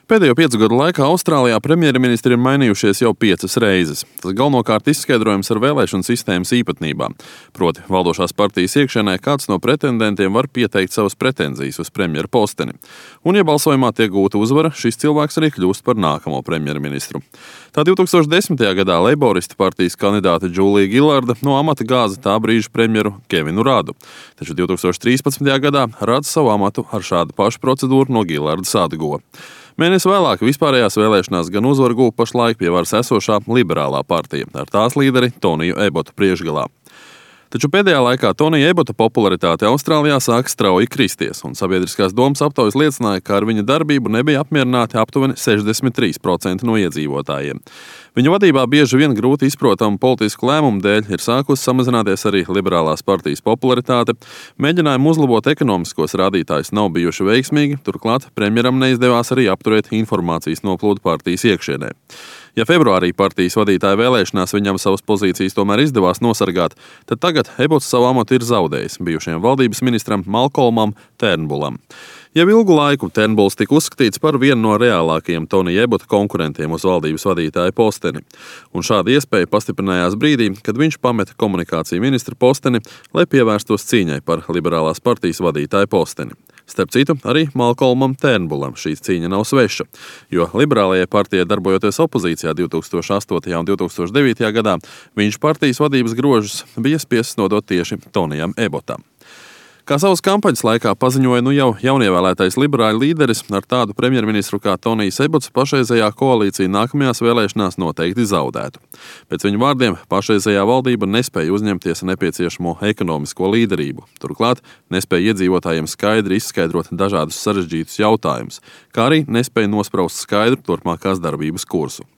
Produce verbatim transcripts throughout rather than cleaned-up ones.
Pēdējo piecu gadu laikā Austrālijā premjerministri ir mainījušies jau piecas reizes. Tas galvenokārt izskaidrojams ar vēlēšanu sistēmas īpatnībām. Proti, valdošās partijas iekšienē kāds no pretendentiem var pieteikt savas pretenzijas uz premjera posteni. Un, ja balsojumā tiek gūta uzvara, šis cilvēks arī kļūst par nākamo premjerministru. Tā divtūkstoš desmitajā gadā Leiboristu partijas kandidāte Džūlija Gilarda no amata gāza tā brīža premjeru Kevinu Radu. Taču divtūkstoš trīspadsmitajā gadā Rads savu amatu ar šādu pašu procedūru no Gilardas atguva. Mēnesi vēlāk vispārējās vēlēšanās gan uzvaru guva pašlaik pie varas esošā liberālā partija ar tās līderi Toniju Ebotu priekšgalā. Taču pēdējā laikā Tonija Ebota popularitāte Austrālijā sāk strauji kristies, un sabiedriskās domas aptaujas liecināja, ka ar viņa darbību nebija apmierināti aptuveni sešdesmit trīs procenti no iedzīvotājiem. Viņa vadībā bieži vien grūti izprotamu politisku lēmumu dēļ ir sākusi samazināties arī liberālās partijas popularitāte. Mēģinājumi uzlabot ekonomiskos rādītājus nav bijuši veiksmīgi, turklāt premjeram neizdevās arī apturēt informācijas noplūdu partijas iekšienē. Ja februārī partijas vadītāja vēlēšanās viņam savas pozīcijas tomēr izdevās nosargāt, tad tagad Ebots savu amatu ir zaudējis bijušajam valdības ministram Malkolmam Turnbullam. Jau ilgu laiku Turnbulls tika uzskatīts par vienu no reālākajiem Tonija Ebota konkurentiem uz valdības vadītāja posteni. Un šāda iespēja pastiprinājās brīdī, kad viņš pameta komunikāciju ministra posteni, lai pievērstos cīņai par liberālās partijas vadītāja posteni. Starp citu, arī Malkolmam Turnbullam šī cīņa nav sveša, jo liberālajai partijai darbojoties opozīcijā divtūkstoš astotajā un divtūkstoš devītajā gadā, viņš partijas vadības grožus bija spiests nodot tieši Tonijam Ebotam. Kā savas kampaņas laikā paziņoja nu jau jaunievēlētais liberāļu līderis, ar tādu premjerministru kā Tonijs Ebots pašreizējā koalīcija nākamajās vēlēšanās noteikti zaudētu. Pēc viņa vārdiem pašreizējā valdība nespēja uzņemties nepieciešamo ekonomisko līderību. Turklāt nespēja iedzīvotājiem skaidri izskaidrot dažādus sarežģītus jautājumus, kā arī nespēja nospraust skaidru turpmākās darbības kursu.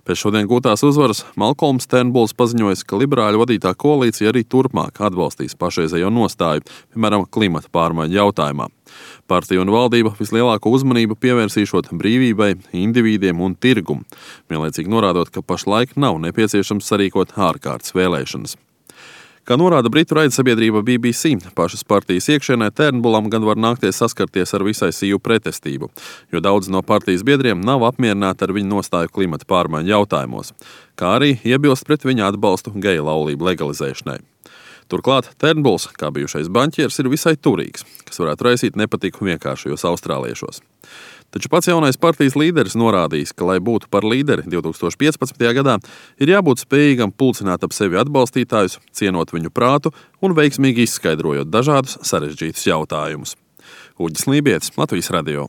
Pēc šodien gūtās uzvaras Malkolms Turnbulls paziņoja, ka liberāļu vadītā koalīcija arī turpmāk atbalstīs pašreizējo nostāju, piemēram, klimata pārmaiņu jautājumā. Partija un valdība vislielāko uzmanību pievērsīšot brīvībai, indivīdiem un tirgumu, vienlaicīgi norādot, ka pašlaik nav nepieciešams sarīkot ārkārtas vēlēšanas. Kā norāda britu raidsabiedrība B B C, pašas partijas iekšienē Turnbullam gan var nākties saskarties ar visai sīvu pretestību, jo daudz no partijas biedriem nav apmierināti ar viņu nostāju klimata pārmaiņu jautājumos, kā arī iebilst pret viņa atbalstu geju laulību legalizēšanai. Turklāt Turnbulls, kā bijušais banķieris, ir visai turīgs, kas varētu raisīt nepatiku vienkāršajos austrāliešos. Taču pats jaunais partijas līderis norādījis, ka, lai būtu par līderi divtūkstoš piecpadsmitajā gadā, ir jābūt spējīgam pulcināt ap sevi atbalstītājus, cienot viņu prātu un veiksmīgi izskaidrojot dažādus sarežģītus jautājumus. Uģis Lībietis, Latvijas radio.